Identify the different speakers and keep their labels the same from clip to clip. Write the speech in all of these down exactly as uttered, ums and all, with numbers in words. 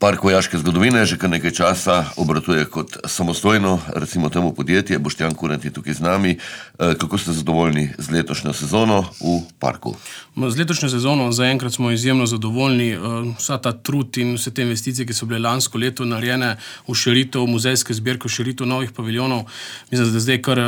Speaker 1: Park vojaške zgodovine že kar nekaj časa obratuje kot samostojno, recimo temu podjetje. Boštjan Kurent je tukaj z nami. Kako ste zadovoljni z letošnjo sezono v parku?
Speaker 2: Z letošnjo sezono zaenkrat smo izjemno zadovoljni. Vsa ta trud in vse te investicije, ki so bile lansko leto narejene v širitev muzejske zbirke, v širitev novih paviljonov, mislim, da zdaj kar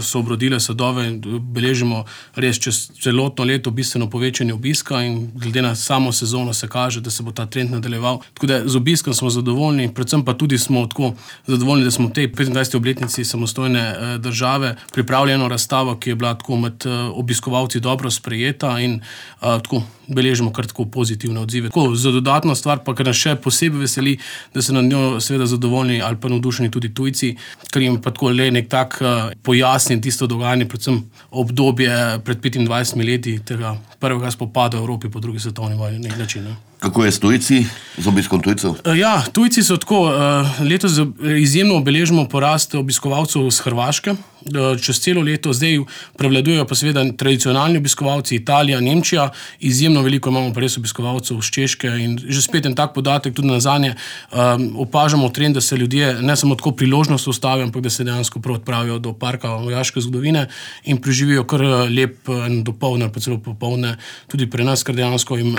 Speaker 2: so obrodile sadove in beležimo res čez celotno leto bistveno povečanje obiska in glede na samo sezono se kaže, da se bo ta trend nadaljeval. Tako da z obiskom smo zadovoljni, predvsem pa tudi smo tako zadovoljni, da smo v tej petindvajseti obletnici samostojne države pripravili eno razstavo, ki je bila tako med obiskovalci dobro sprejeta in a, tako beležimo kar tako pozitivne odzive. Tako, za dodatno stvar pa, kar nas še posebej veseli, da so nad njo seveda zadovoljni ali pa navdušeni tudi tujci, ker jim pa tako le nek tak pojasni tisto dogajanje, predvsem obdobje pred petindvajsetimi leti tega prvega spopada v Evropi po drugi svetovni vojni na nek način. Ne?
Speaker 1: Kako je s tujci, z obiskom tujcev?
Speaker 2: Ja, tujci so tako, letos izjemno obeležimo porast obiskovalcev z Hrvaške, čez celo leto, zdaj prevladujejo pa seveda tradicionalni obiskovalci, Italija, Nemčija, izjemno veliko imamo pa res obiskovalcev z Češke in že spet en tak podatek, tudi nazadnje opažamo trend, da se ljudje ne samo tako priložnost ustavijo, ampak da se dejansko prav odpravijo do parka vojaške zgodovine in preživijo kar lep dopoldne, pa celo popoldne tudi pri nas, ker dejansko jim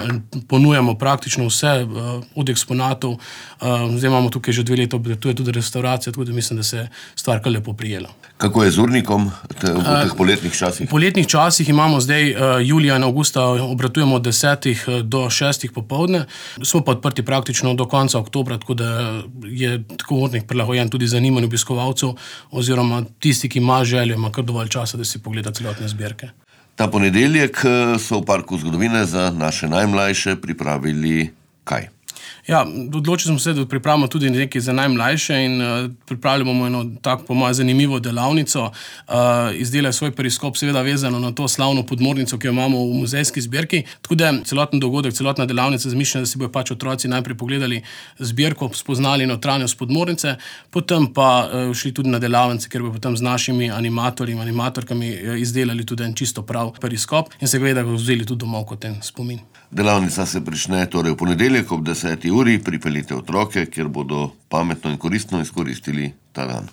Speaker 2: ponujamo praktično vse od eksponatov. Zdaj imamo tukaj že dve leta, tu je tudi restauracija, tako da mislim, da se je stvar kar lepo prijela.
Speaker 1: Kako je z urnikom te, v teh poletnih časih?
Speaker 2: V poletnih časih imamo zdaj julija in avgusta obratujemo od desetih do šestih popoldne. Smo pa odprti praktično do konca oktobra, tako da je tako urnik prilagojen tudi zanimanju obiskovalcev oziroma tisti, ki ima željo, ima kar dovolj časa, da si pogleda celotne zbirke.
Speaker 1: Ta ponedeljek so v Parku zgodovine za naše najmlajše pripravili kaj?
Speaker 2: Ja, odločili smo se, da pripravimo tudi nekaj za najmlajše in uh, pripravili bomo eno tako, po mojem, zanimivo delavnico. Uh, izdelali svoj periskop, seveda vezano na to slavno podmornico, ki jo imamo v muzejski zbirki. Tako da celoten dogodek, celotna delavnica zmišljena, da si bojo pač otroci najprej pogledali zbirko, spoznali notranjost podmornice, potem pa uh, šli tudi na delavnice, kjer bo potem z našimi animatorji in animatorkami izdelali tudi en čisto prav periskop in se gleda, ga vzeli tudi domov kot en spomin.
Speaker 1: Delavnica se prične torej v ponedeljek ob deseti uri, pripeljite otroke, kjer bodo pametno in koristno izkoristili ta dan.